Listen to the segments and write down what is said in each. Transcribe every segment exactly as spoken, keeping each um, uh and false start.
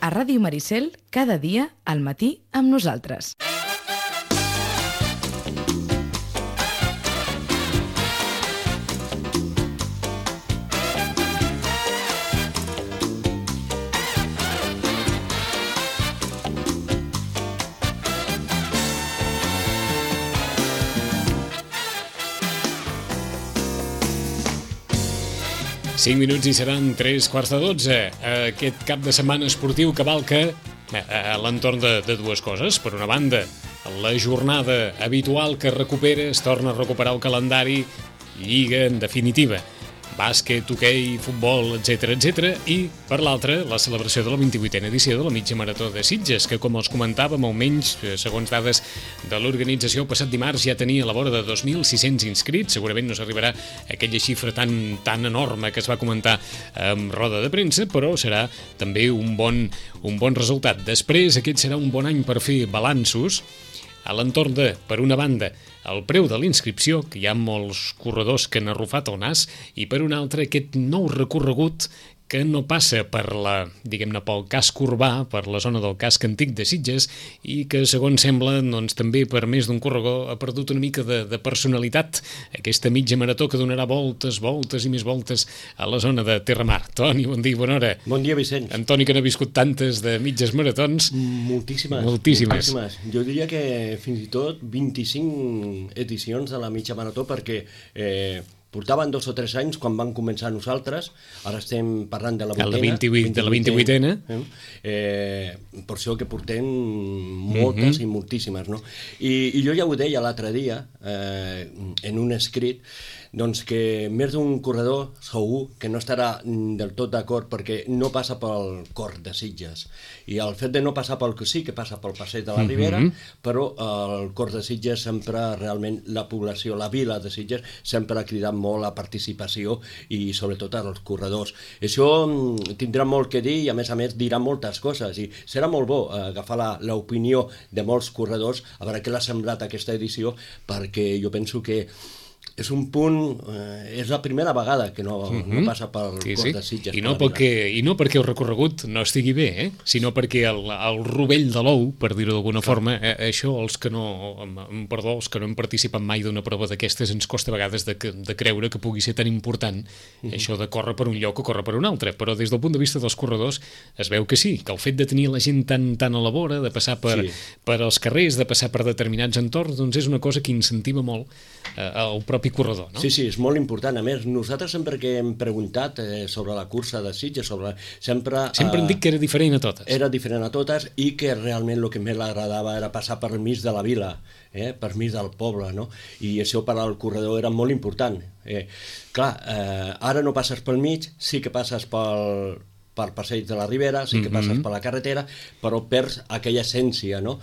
A Ràdio Maricel, cada dia, al matí, amb nosaltres. cinc minuts i seran tres quarts de dotze. Aquest cap de setmana esportiu cavalca a l'entorn de, de dues coses. Per una banda, la jornada habitual que recupera, es torna a recuperar el calendari, lliga en definitiva, bàsquet, hoquei, futbol, etcètera, etcètera, i per l'altra, la celebració de la vint-i-vuitena edició de la mitja marató de Sitges, que com els comentàvem, almenys, segons dades de l'organització, passat dimarts ja tenia a la vora de dos mil sis-cents inscrits. Segurament no s'arribarà a aquella xifra tan, tan enorme que es va comentar en roda de premsa, però serà també un bon, un bon resultat. Després, aquest serà un bon any per fer balanços a l'entorn de, per una banda, el preu de l'inscripció, que hi ha molts corredors que han arrufat el nas, i per una altra, aquest nou recorregut que no passa per la, diguem-ne, pel casc urbà, per la zona del casc antic de Sitges, i que, segons sembla, doncs, també per més d'un corredor ha perdut una mica de, de personalitat. Aquesta mitja marató que donarà voltes, voltes i més voltes a la zona de Terramar. Toni, bon dia, bona hora. Bon dia, Vicenç. Antoni, que n'ha viscut tantes de mitges maratons. Moltíssimes. Moltíssimes. Moltíssimes. Jo diria que fins i tot vint-i-cinc edicions de la mitja marató, perquè eh, portaven dos o tres anys quan van començar nosaltres, ara estem parlant de la vuitena. La vint-i-vuit, de la vint-i-vuitena. Eh? Eh, per això que portem moltes mm-hmm. i moltíssimes, no? I, I jo ja ho deia l'altre dia, eh, en un escrit, doncs que més d'un corredor segur que no estarà del tot d'acord perquè no passa pel cor de Sitges. I el fet de no passar pel que sí que passa pel passeig de la Ribera, mm-hmm. però el cor de Sitges sempre, realment, la població, la vila de Sitges, sempre ha cridat molt la participació i sobretot als corredors. Això tindrà molt que dir i a més a més dirà moltes coses i serà molt bo agafar l'opinió de molts corredors a veure què l'ha semblat aquesta edició, perquè jo penso que és un punt, eh, és la primera vegada que no, mm-hmm. no passa pel sí, cor sí. de Sitges. I no, perquè, I no perquè el recorregut no estigui bé, eh? Sinó perquè el, el rovell de l'ou, per dir-ho d'alguna Clar. forma, eh, això els que no, perdó, els que no hem participat mai d'una prova d'aquestes ens costa a vegades de, de creure que pugui ser tan important mm-hmm. això de córrer per un lloc o córrer per un altre, però des del punt de vista dels corredors es veu que sí, que el fet de tenir la gent tan, tan a la vora, de passar per, sí. per els carrers, de passar per determinats entorns, doncs és una cosa que incentiva molt eh, el propi corredor, no? Sí, sí, és molt important. A més, nosaltres sempre que hem preguntat eh, sobre la cursa de Sitges, sobre... sempre... Sempre hem dit que era diferent a totes. Era diferent a totes i que realment el que més l'agradava era passar per mig de la vila, eh, per mig del poble, no? I això per al corredor era molt important. Eh, clar, eh, ara no passes pel mig, sí que passes pel... per passeig de la Ribera, sí que passes mm-hmm. per la carretera, però perds aquella essència, no?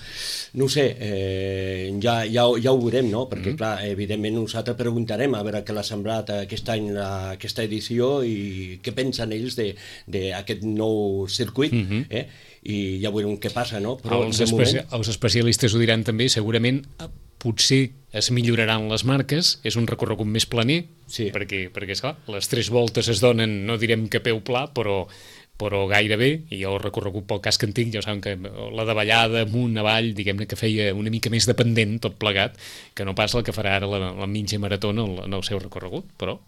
No ho sé, eh, ja, ja, ja ho veurem, no? Perquè, mm-hmm. clar, evidentment nosaltres preguntarem a veure què l'ha semblat aquest any la, aquesta edició i què pensen ells d'aquest nou circuit, mm-hmm. eh? I ja veurem què passa, no? Però els, especi moment... els especialistes ho diran també, segurament potser es milloraran les marques, és un recorregut més planer, sí. perquè, perquè esclar, les tres voltes es donen, no direm que peu pla, però però gairebé, i el recorregut pel casc antic, ja saben que la davallada amunt, avall, diguem-ne que feia una mica més dependent, tot plegat, que no pas el que farà ara la, la mitja marató en el, en el seu recorregut, però...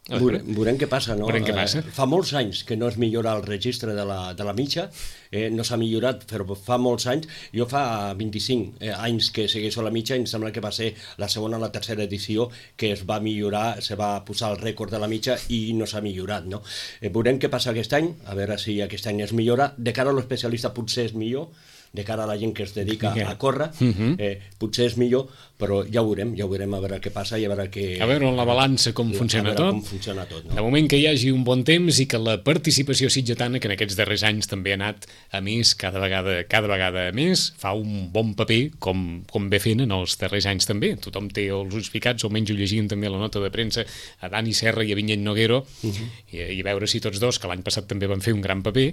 Veurem, veurem què passa, no? Veurem què passa. Eh, fa molts anys que no es millora el registre de la, de la mitja, eh, no s'ha millorat, però fa molts anys. Jo fa vint-i-cinc eh, anys que segueixo la mitja i em sembla que va ser la segona o la tercera edició que es va millorar, se va posar el rècord de la mitja i no s'ha millorat, no? Eh, veurem què passa aquest any, a veure si aquest any es millora. De cara a l'especialista potser és millor, de cara a la gent que es dedica a córrer, uh-huh. eh, potser és millor, però ja ho veurem, ja ho veurem a veure què passa i a veure què... A veure la balança com funciona tot. Com funciona tot, no? De moment que hi hagi un bon temps i que la participació sitgetana, que en aquests darrers anys també ha anat a més, cada vegada, cada vegada a més, fa un bon paper, com, com ve fent en els darrers anys també. Tothom té els ulls ficats, almenys ho llegien també a la nota de premsa, a Dani Serra i a Vinyet Noguero, uh-huh. i, i a veure si tots dos, que l'any passat també van fer un gran paper,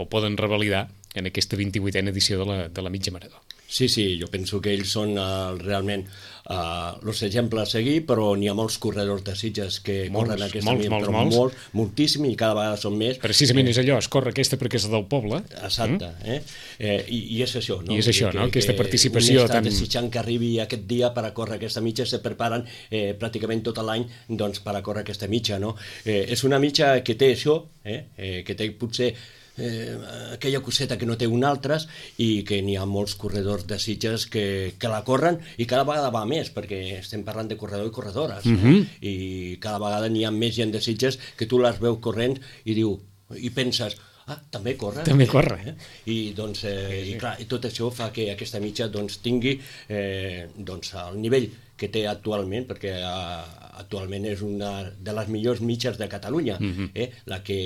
ho poden revalidar en aquesta vint-i-vuitena edició de la, de la mitja marató. Sí, sí, jo penso que ells són uh, realment uh, els exemples a seguir, però n'hi ha molts corredors de Sitges que molts, corren aquesta molts, milla, molts, però molts. molt, moltíssim, i cada vegada són més. Precisament eh, és allò, es corre aquesta perquè és del poble. Exacte, mm? eh? Eh, i, i és això, no? I és això, que, no? Que, aquesta participació un estat tan... desitjant que arribi aquest dia per a córrer aquesta mitja, se preparen eh, pràcticament tot l'any doncs, per a córrer aquesta mitja, no? Eh, és una mitja que té això, eh? Eh, que té potser Eh, aquella coseta que no té un altres, i que n'hi ha molts corredors de Sitges que, que la corren, i cada vegada va més, perquè estem parlant de corredor i corredores, eh? Uh-huh. I cada vegada n'hi ha més gent de Sitges que tu les veus corrent i diu, i penses, ah, també corre. També corre. Eh? I, doncs, eh, i, clar, i tot això fa que aquesta mitja doncs, tingui eh, doncs, el nivell que té actualment, perquè eh, actualment és una de les millors mitges de Catalunya, uh-huh. eh? La que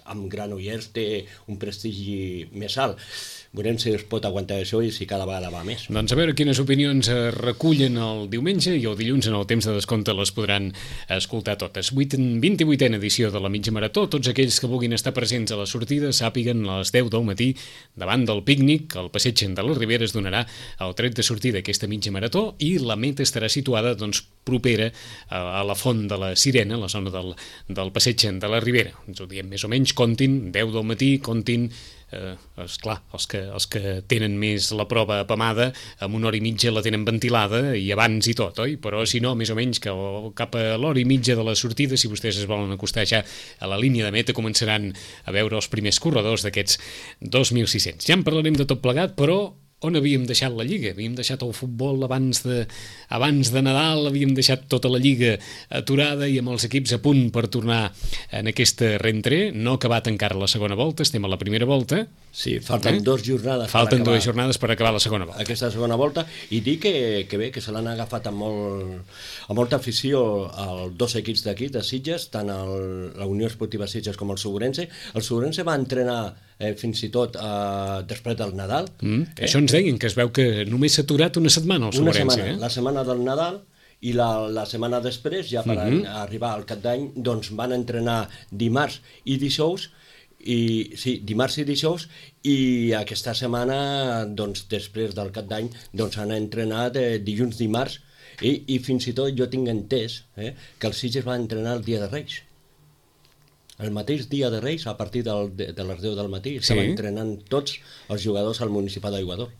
amb Granollers té un prestigi més alt. Veurem si es pot aguantar això i si cada vegada va més. Doncs a veure quines opinions es recullen el diumenge, i el dilluns en el temps de descompte les podran escoltar totes. vint-i-vuitena edició de la mitja marató. Tots aquells que vulguin estar presents a la sortida sàpiguen a les deu del matí davant del pícnic. El passeig de la Ribera es donarà el tret de sortida d'aquesta mitja marató, i la meta estarà situada doncs, propera a la Font de la Sirena, a la zona del, del passeig de la Ribera. Ens ho diem més o menys, comptin, deu del matí, comptin. Eh, esclar, els que, els que tenen més la prova apamada, amb una hora i mitja la tenen ventilada i abans i tot, oi? Però si no, més o menys que cap a l'hora i mitja de la sortida, si vostès es volen acostar ja a la línia de meta, començaran a veure els primers corredors d'aquests dos mil sis-cents. Ja en parlarem de tot plegat, però on havíem deixat la Lliga? Havíem deixat el futbol abans de, abans de Nadal, havíem deixat tota la Lliga aturada i amb els equips a punt per tornar en aquesta rentrée. No ha acabat encara la segona volta, estem a la primera volta. Sí, falten eh? dues jornades falten per acabar. dues jornades per acabar la segona volta. Aquesta segona volta, i dir que, que bé, que se l'han agafat amb, molt, amb molta afició els dos equips d'aquí, de Sitges, tant el, la Unió Esportiva Sitges com el Segurense. El Segurense va entrenar eh, fins i tot eh, després del Nadal. Mm, eh? Això ens deien, que es veu que només s'ha aturat una setmana el Una Segurense. setmana, eh? la setmana del Nadal, i la, la setmana després, ja per Mm-hmm. arribar al cap d'any, doncs van entrenar dimarts i dijous, i sí, dimarts i dijous, i aquesta setmana, doncs, després del cap d'any, doncs han entrenat eh, dilluns, dimarts, i, i fins i tot jo tinc entès eh, que el Sitges va entrenar el dia de Reis. El mateix dia de Reis, a partir del, de, de les deu del matí, estaven Sí. entrenant tots els jugadors al Municipal d'Aiguador.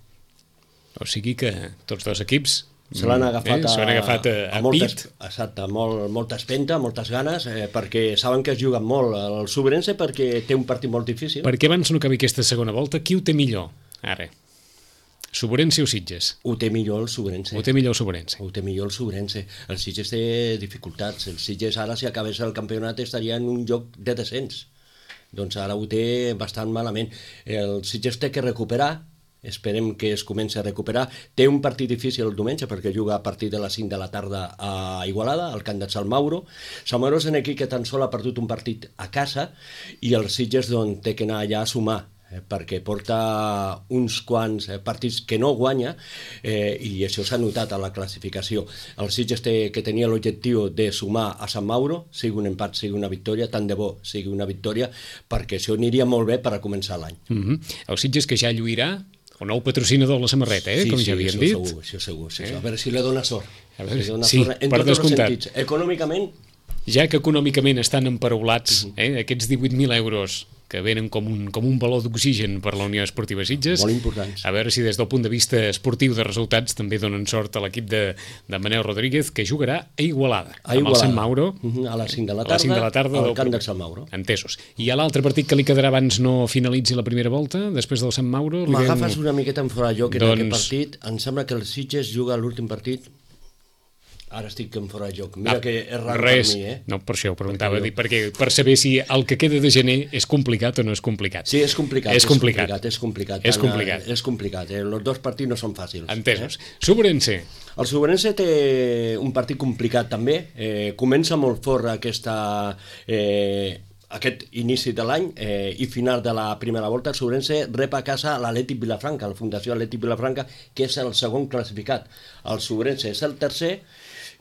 O sigui que tots dos equips Se l'han agafat, eh, se l'han agafat a, a, a, a moltes, pit. exacte, molt, molta espenta, moltes ganes, eh, perquè saben que es juguen molt el Segurense, perquè té un partit molt difícil. Perquè abans no acabi aquesta segona volta, qui ho té millor? Ara, Segurense o Sitges? Ho té millor el Segurense. Ho té millor el Segurense. Ho té millor el Segurense. El Sitges té dificultats. El Sitges ara, si acabés el campionat, estaria en un lloc de descens. Doncs ara ho té bastant malament. El Sitges té que recuperar, esperem que es comenci a recuperar. Té un partit difícil el diumenge, perquè juga a partir de les cinc de la tarda a Igualada, al camp de Sant Mauro. Sant Mauro és un equip que tan sol ha perdut un partit a casa, i el Sitges doncs, té que anar allà a sumar, eh, perquè porta uns quants eh, partits que no guanya, eh, i això s'ha notat a la classificació. El Sitges té que tenia l'objectiu de sumar a Sant Mauro, sigui un empat, sigui una victòria, tant de bo sigui una victòria, perquè això aniria molt bé per a començar l'any. Mm-hmm. El Sitges, que ja lluirà el nou patrocinador de la samarreta, eh? Sí, com sí, ja havien això dit. Segur, això segur, sí, Eh? a veure si li dona sort. A veure, si li dona sí, sort en per tots els descomptat. sentits. Econòmicament, Ja que econòmicament estan empaulats, eh? aquests divuit mil euros que venen com un, com un baló d'oxigen per la Unió Esportiva Sitges, molt importants. a veure si des del punt de vista esportiu de resultats també donen sort a l'equip de, de Manel Rodríguez, que jugarà a Igualada, A amb el Igualada. Sant Mauro, Mhm, a les cinc de la a les cinc de la tarda, al del camp primer. del Sant Mauro. Entesos. I a l'altre partit que li quedarà abans no finalitzi la primera volta, després del Sant Mauro... li M'agafes veiem- una miqueta en fora de lloc en Doncs- aquest partit. Em sembla que el Sitges juga l'últim partit. Ara estic en fora de joc. Mira Ah, que és raro res. per mi, eh? No, per això ho preguntava, Perquè perquè, perquè per saber si el que queda de gener és complicat o no és complicat. Sí, és complicat. És complicat. És complicat. És Tant, complicat. eh, És complicat. Eh? Els dos partits no són fàcils. Entesos. Segurense. El Segurense té un partit complicat també. Eh, comença molt fort aquesta... Eh, aquest inici de l'any eh, i final de la primera volta. El Segurense rep a casa l'Atlètic Vilafranca, la Fundació Atlètic Vilafranca, que és el segon classificat. El Segurense és el tercer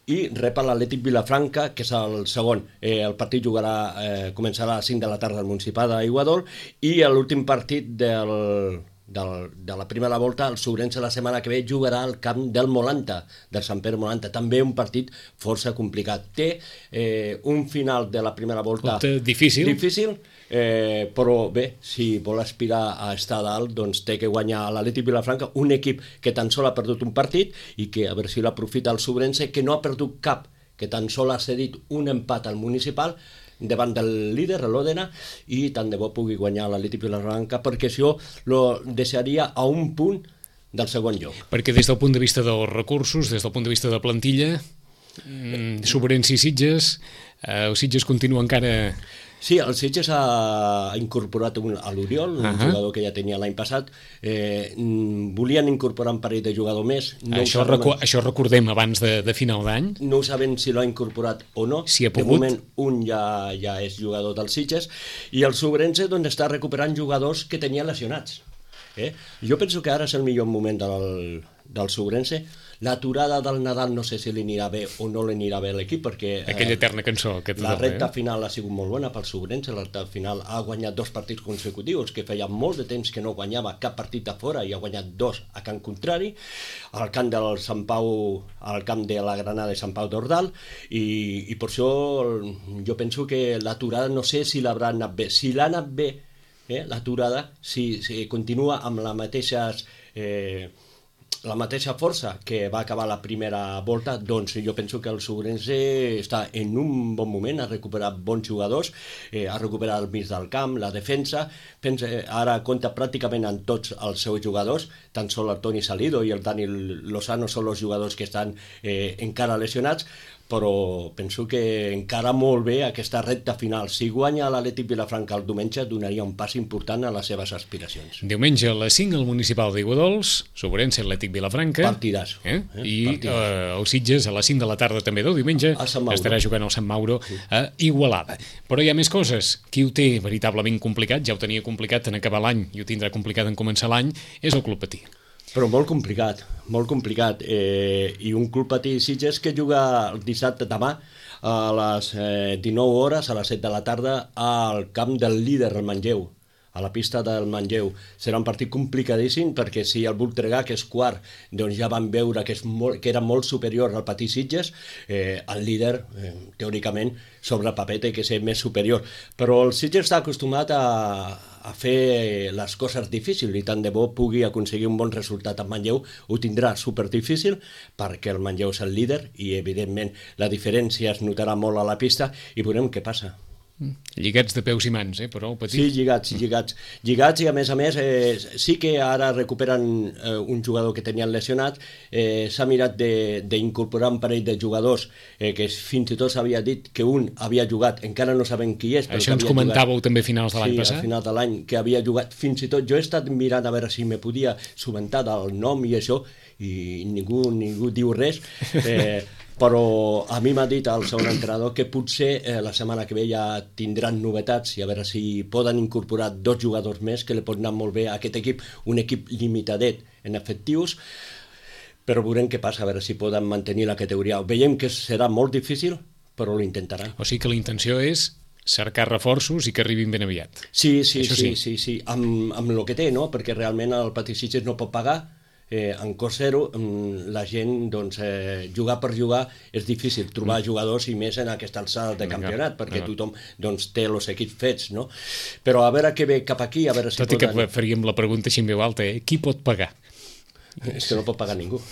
i rep a l'Atlètic Vilafranca, que és el segon. Eh, el partit jugarà, eh, començarà a les cinc de la tarda al Municipal d'Aiguador, i l'últim partit del, del, de la primera volta, el Sobrense la setmana que ve jugarà al camp del Molanta, del Sant Pere Molanta, també un partit força complicat. Té eh, un final de la primera volta difícil, difícil eh, però bé, si vol aspirar a estar dalt, doncs té que guanyar l'Atlètic Vilafranca, un equip que tan sol ha perdut un partit i que a veure si l'aprofita el Sobrense, que no ha perdut cap, que tan sol ha cedit un empat al Municipal davant del líder, l'Òdena, i tant de bo pugui guanyar l'Atlètic Vilafranca, perquè això lo deixaria a un punt del segon lloc. Perquè des del punt de vista dels recursos, des del punt de vista de plantilla, mmm, Sobrense i Sitges, eh, el Sitges continua encara... Sí, el Sitges ha incorporat un, a l'Oriol, un uh -huh. jugador que ja tenia l'any passat. Eh, volien incorporar un parell de jugador més. No això, recu això recordem abans de, de final d'any. No sabem si l'ha incorporat o no. Si ha pogut. De moment, un ja, ja és jugador del Sitges. I el Sobrense doncs, està recuperant jugadors que tenia lesionats. Eh? Jo penso que ara és el millor moment del, del Sobrense. L'aturada del Nadal no sé si li anirà bé o no li anirà bé a l'equip, perquè... Eh, aquella eterna cançó. Que la recta eh? final ha sigut molt bona pel Sobrense, la recta final ha guanyat dos partits consecutius, que feia molt de temps que no guanyava cap partit a fora, i ha guanyat dos a camp contrari, al camp del Sant Pau, al camp de la Granada de Sant Pau d'Ordal, i, i per això jo penso que l'aturada no sé si l'haurà anat bé. Si l'ha anat bé, eh, l'aturada, si, si continua amb la mateixa... Eh, la mateixa força que va acabar la primera volta, doncs jo penso que el Sobrense està en un bon moment, ha recuperat bons jugadors, eh, ha recuperat el mig del camp, la defensa, pensa, ara compta pràcticament amb tots els seus jugadors, tan sol el Toni Salido i el Dani Lozano són els jugadors que estan eh, encara lesionats, però penso que encara molt bé aquesta recta final. Si guanya l'Atlètic Vilafranca el diumenge, donaria un pas important a les seves aspiracions. Diumenge a les cinc al Municipal d'Iguadols, Sobrense, Atlètic Vilafranca. Partidàs. Eh? Eh? I eh, el Sitges a les cinc de la tarda també del diumenge estarà jugant al Sant Mauro a Igualada. Però hi ha més coses. Qui ho té veritablement complicat, ja ho tenia complicat en acabar l'any i ho tindrà complicat en començar l'any, és el Club Patí. Però molt complicat, molt complicat. Eh, I un Club Patí Sitges que juga el dissabte demà a les eh, dinou hores, a les set de la tarda, al camp del líder, el Manlleu, a la pista del Manlleu. Serà un partit complicadíssim perquè si el Voltregà, que és quart, doncs ja van veure que, és molt, que era molt superior al Patí Sitges, eh, el líder, eh, teòricament, sobre el paper té que ser més superior. Però el Sitges està acostumat a, a fer les coses difícils i tant de bo pugui aconseguir un bon resultat amb Manlleu. Ho tindrà superdifícil perquè el Manlleu és el líder i, evidentment, la diferència es notarà molt a la pista i veurem què passa. Lligats de peus i mans, eh, però el Patí... Sí, lligats, lligats. Lligats i, a més a més, eh, sí que ara recuperen eh, un jugador que tenien lesionat, eh, s'ha mirat d'incorporar un parell de jugadors eh, que fins i tot s'havia dit que un havia jugat, encara no sabem qui és. Això ens comentàveu jugat, també a finals de l'any sí, passat? Sí, a finals de l'any, que havia jugat fins i tot... Jo he estat mirant a veure si me podia subentar del nom i això, i ningú, ningú diu res, eh, però a mi m'ha dit el segon entrenador que potser eh, la setmana que ve ja tindran novetats i a veure si poden incorporar dos jugadors més que li pot anar molt bé a aquest equip, un equip limitadet en efectius, però veurem què passa, a veure si poden mantenir la categoria. Veiem que serà molt difícil, però ho intentaran. O sigui que la intenció és cercar reforços i que arribin ben aviat. Sí, sí, sí, sí, sí, sí, amb, amb el que té, no? Perquè realment el Patí Sitges no pot pagar, Eh, en cost zero, la gent doncs, eh, jugar per jugar és difícil, trobar mm. jugadors i més en aquesta alçada de campionat, no, perquè no. tothom doncs, té els equips fets, no? Però a veure què ve cap aquí, a veure si Tot poden... i que faríem la pregunta així en veu alta, eh? Qui pot pagar? És que no pot pagar ningú.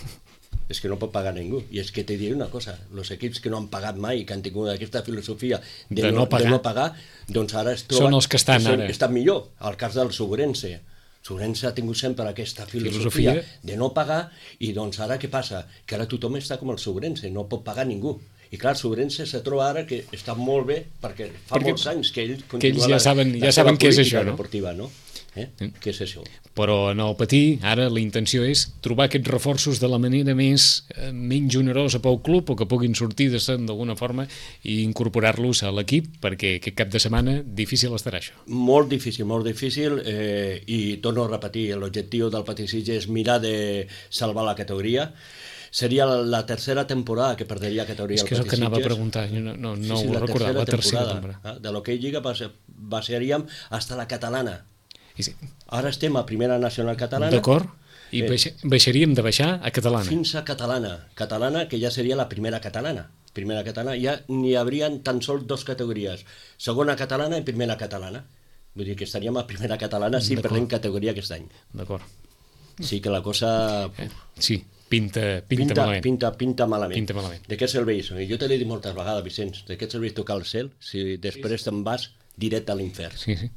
És que no pot pagar ningú. I és que te diré una cosa, els equips que no han pagat mai, que han tingut aquesta filosofia de, de, no, no, pagar. de no pagar, doncs ara es troben... Són els que estan són, ara. Estan millor, al cas del Sobrense. Sobrense ha tingut sempre aquesta filosofia, filosofia de no pagar i doncs ara què passa? Que ara tothom està com el Sobrense, no pot pagar ningú. I clar, el Sobrense se troba ara que està molt bé perquè fa perquè, molts anys que ell continua que ells ja saben, ja saben què és això, no? Deportiva, no? Eh? Mm. Què és això? Però en el Patí, ara la intenció és trobar aquests reforços de la manera més eh, menys onerosa pel club o que puguin sortir de se'n d'alguna forma i incorporar-los a l'equip perquè aquest cap de setmana difícil estarà això. Molt difícil, molt difícil eh, i torno a repetir, l'objectiu del Patí Sitges és mirar de salvar la categoria. Seria la tercera temporada que perderia categoria. És que és el que anava a preguntar, jo no, no, no sí, sí, ho recordava, la tercera temporada. temporada. De l'hoquei Lliga passaríem hasta la catalana. I sí. Ara estem a primera nacional catalana. D'acord. I Eh, baixa, baixaríem de baixar a catalana. Fins a catalana. Catalana, que ja seria la primera catalana. Primera catalana, ja n'hi haurien tan sols dos categories. Segona catalana i primera catalana. Vull dir que estaríem a primera catalana si D'acord. perdem categoria aquest any. D'acord. Sí que la cosa... Eh, sí, pinta, pinta, Pinta, malament. pinta, pinta malament. Pinta malament. De què serveix? Jo te l'he dit moltes vegades, Vicenç, de què serveix tocar el cel si després te'n vas directe a l'infern? Sí, sí.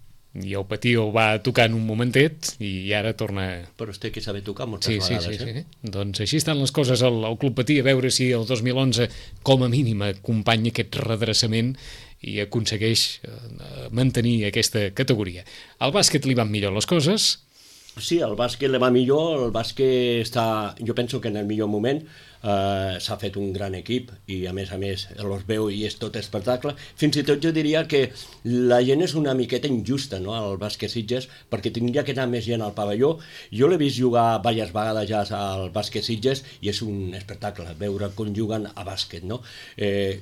I el Patí ho va tocar en un momentet i ara torna... Però es té que saber tocar moltes Sí, sí, vegades, sí, eh? sí. Doncs així estan les coses al, al Club Patí, a veure si el dos mil onze com a mínim acompanya aquest redreçament i aconsegueix eh, mantenir aquesta categoria. Al bàsquet li van millor les coses. Sí, el bàsquet li va millor, el bàsquet està, jo penso que en el millor moment, eh, s'ha fet un gran equip i a més a més els veu i és tot espectacle. Fins i tot jo diria que la gent és una miqueta injusta, no?, al bàsquet Sitges, perquè tindria que anar més gent al pavelló. Jo l'he vist jugar diverses vegades ja al bàsquet Sitges i és un espectacle veure com juguen a bàsquet, no? Eh,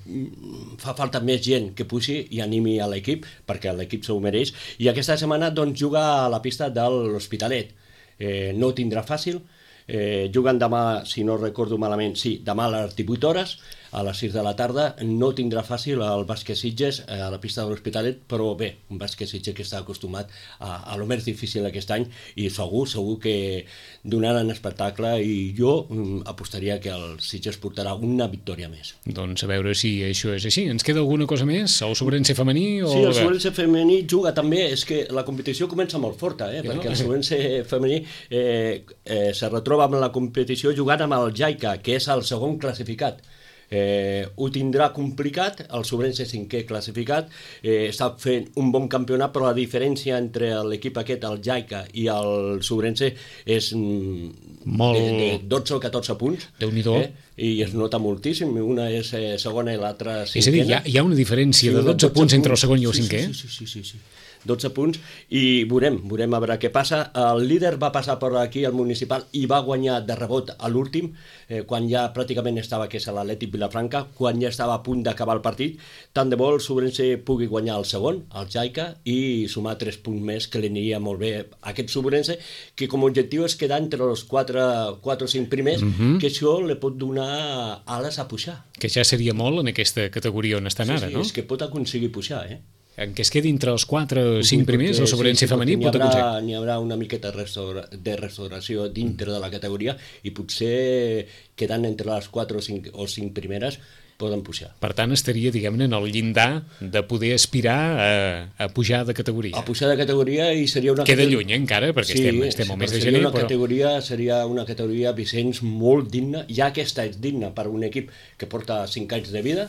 fa falta més gent que puixi i animi a l'equip, perquè l'equip s'ho mereix, i aquesta setmana doncs juga a la pista de l'Hospitalet. Eh, no ho tindrà fàcil, eh, juguen demà, si no recordo malament, sí, demà a les divuit hores, a les sis de la tarda. No tindrà fàcil el bàsquet Sitges eh, a la pista de l'Hospitalet, però bé, un bàsquet Sitges que està acostumat a, a lo més difícil aquest any i segur, segur que donaran espectacle i jo mm, apostaria que el Sitges portarà una victòria més. Doncs a veure si això és així. Ens queda alguna cosa més? El Sobrense femení? O... Sí, el Sobrense femení juga també, és que la competició comença molt forta, eh? Perquè el Sobrense femení eh, eh, se retroba amb la competició jugant amb el Jaica, que és el segon classificat. Eh, ho tindrà complicat, el Sobrense cinquè classificat, eh, està fent un bon campionat, però la diferència entre l'equip aquest, el Jaica i el Sobrense és mm, Molt... de, de dotze o catorze punts. Déu-n'hi-do. Eh? I es nota moltíssim, una és eh, segona i l'altra cinquena. És a dir, hi ha, hi ha una diferència de dotze punts entre el segon i el sí, cinquè? Sí, sí, sí, sí, sí. dotze punts, i veurem, veurem a veure què passa. El líder va passar per aquí, el municipal, i va guanyar de rebot a l'últim, eh, quan ja pràcticament estava, que és l'Atlètic Vilafranca, quan ja estava a punt d'acabar el partit. Tant de bo el Sobrense pugui guanyar el segon, el Jaica, i sumar tres punts més, que li aniria molt bé a aquest Sobrense, que com a objectiu és quedar entre els quatre o cinc primers, Mhm. que això li pot donar ales a pujar. Que ja seria molt en aquesta categoria on estan Sí, ara, sí, no? és que pot aconseguir pujar, eh? En què es quedi entre els quatre o cinc primers, Perquè, el Sobrense sí, sí, femení perquè pot n'hi haurà- aconseguir. N'hi haurà una miqueta de restaura- de restauració dintre de la categoria i potser quedant entre les quatre o cinc, o cinc primeres poden pujar. Per tant, estaria, diguem-ne, en el llindar de poder aspirar a, a pujar de categoria. A pujar de categoria i seria una... Queda categ- lluny, eh, encara, perquè sí, estem, estem al mes de seria gener, una però... categoria, seria una categoria, Vicenç, molt digna. Ja aquesta és digna per un equip que porta cinc anys de vida,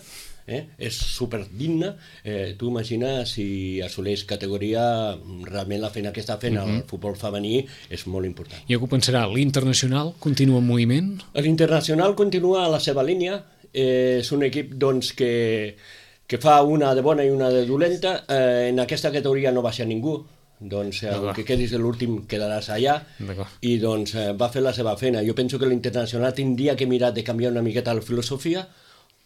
eh? És superdigna. Eh, tu imagines si assoleix categoria, realment la feina que està fent Mhm. el futbol femení és molt important. I algú pensarà, l'internacional continua en moviment? L'Internacional continua a la seva línia, eh, és un equip doncs, que, que fa una de bona i una de dolenta. Eh, en aquesta categoria no baixa ningú, doncs eh, D'acord. que quedis de l'últim quedaràs allà, D'acord. i doncs eh, va fer la seva feina. Jo penso que l'Internacional tindria que mirar de canviar una miqueta la filosofia,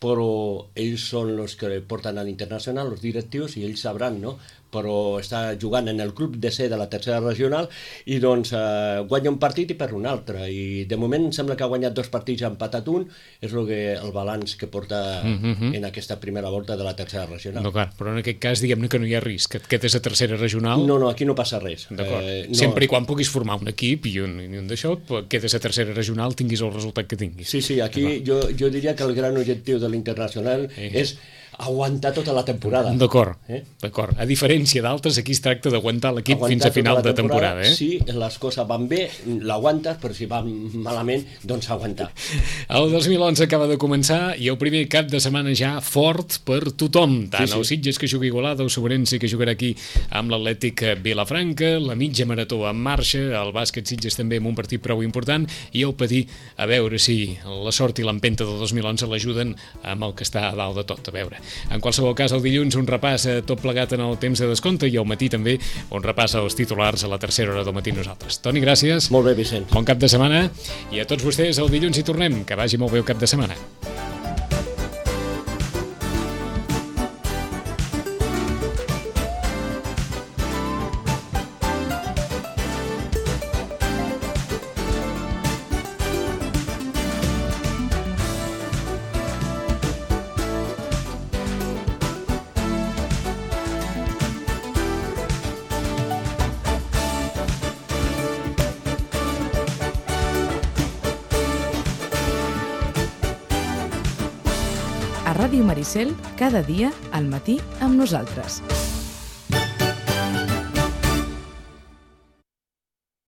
però ells són els que porten a l'Internacional, els directius, i ells sabran, no? Però està jugant en el club de C de la tercera regional i doncs eh, guanya un partit i perd un altre, i de moment sembla que ha guanyat dos partits, ha empatat un, és el, que, el balanç que porta Mhm. en aquesta primera volta de la tercera regional. No, clar, però en aquest cas diguem-ne que no hi ha risc, que et quedes a tercera regional. No, no, aquí no passa res. D'acord. Eh, no. Sempre i quan puguis formar un equip i un, i un d'això, pues, quedes a tercera regional, tinguis el resultat que tinguis. Sí, sí, aquí jo, jo diria que el gran objectiu de l'Internacional Sí. és aguantar tota la temporada. D'acord, Eh? d'acord. A diferència d'altres, aquí es tracta d'aguantar l'equip Aguantar fins a tota final la de temporada. Eh? Si les coses van bé, l'aguantes, però si van malament, doncs aguantar. El dos mil onze acaba de començar i el primer cap de setmana ja fort per tothom, tant Sí, sí. el Sitges que jugui Igualada, el Sobrense que jugarà aquí amb l'Atlètic Vilafranca, la mitja marató en marxa, el bàsquet Sitges també amb un partit prou important, i el Patí, a veure si la sort i l'empenta del dos mil onze l'ajuden amb el que està a dalt de tot, a veure. En qualsevol cas, el dilluns un repàs a tot plegat en el temps de descompte i al matí també un repàs als titulars a la tercera hora del matí nosaltres. Toni, gràcies. Molt bé, Vicenç. Bon cap de setmana i a tots vostès el dilluns hi tornem. Que vagi molt bé el cap de setmana. a Ràdio Maricel cada dia al matí amb nosaltres.